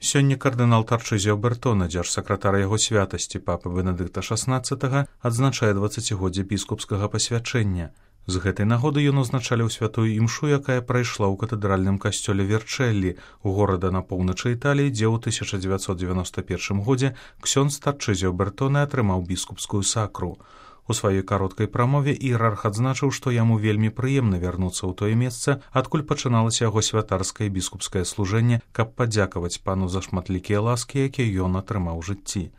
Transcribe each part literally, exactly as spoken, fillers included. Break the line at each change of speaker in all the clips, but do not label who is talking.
Сёння кардынал Тарчызіо Бертона, дзяржсакратар яго святасці папы Бенедыкта шаснаццатага, адзначае дваццацігоддзе біскупскага пасвячэння. З гэтай нагоды ён узначаліў святую імшу, якая прайшла ў катэдральным касцёле Верчэллі, у горада на поўначы Італіі, дзе ў тысяча дзевяцьсот дзевяноста першым годзе ксёндз Тарчызіо Бертона атрымаў біскупскую сакру. У сваёй кароткай прамове іерарх адзначыў, што яму вельмі прыемна вярнуцца ў тое месца, адкуль пачыналася яго святарскае біскупскае служэнне, каб падзякаваць пану за шматлікія ласкі, якія ён атрымаў у жыцці.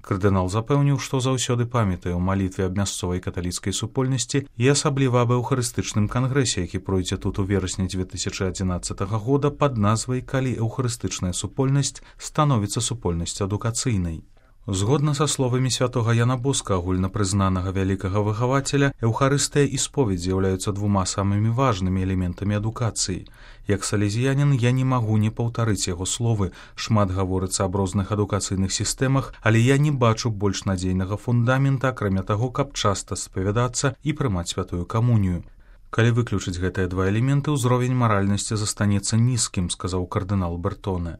Кардынал запэўніў, што заўсёды памятае ў малітве аб мясцовай каталіцкай супольнасці і асабліва аб эўхарыстычным кангрэсе, які пройдзе тут у верасні дзве тысячы адзінаццатага года пад назвай «Калі эўхарыстычная супольнасць становіцца супольнасцю адукацыйнай». Згодна са словамі святога Яна Боска, агульнапрызнанага вялікага выхавацеля, эўхарыстыя і споведь з'яўляюцца двума самымі важнымі элементамі адукацыі. Як салезіянін я не магу не паўтарыць яго словы, шмат гаворыцца аб розных адукацыйных сістэмах, але я не бачу больш надзейнага фундамента, акрамя таго, каб часта спавядацца і прымаць святую камунію. Калі выключыць гэтыя два элементы, узровень маральнасці застанецца нізкім, сказаў кардынал Бертоне.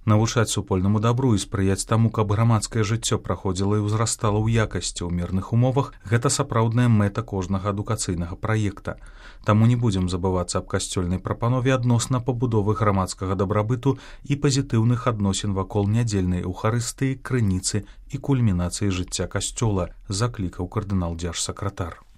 Навучаць супольнаму дабру і спрыяць таму, каб грамадскае жыццё праходзіла і ўзрастала ў якасці ў мірных умовах, гэта сапраўдная мэта кожнага адукацыйнага праекта. Таму не будзем забывацца аб касцёльнай прапанове адносна пабудовы грамадскага дабрабыту і пазітыўных адносін вакол нядзельнай эўхарыстыі, крыніцы і кульмінацыі жыцця касцёла, заклікаў кардынал дзяржсакратар.